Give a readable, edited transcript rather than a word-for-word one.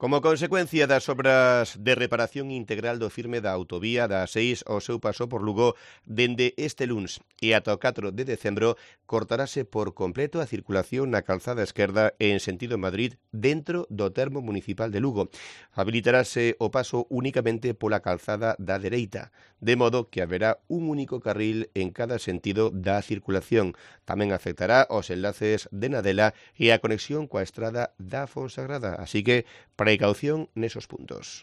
Como consecuencia das obras de reparación integral do firme da autovía da A6 ao seu paso por Lugo, dende este luns e ata o 4 de decembro, cortarase por completo a circulación na calzada esquerda en sentido Madrid dentro do termo municipal de Lugo. Habilitarase o paso únicamente pola calzada da dereita, de modo que haberá un único carril en cada sentido da circulación. Tamén afectará os enlaces de Nadela e a conexión coa estrada da Fonsagrada, así que precaución nesos puntos.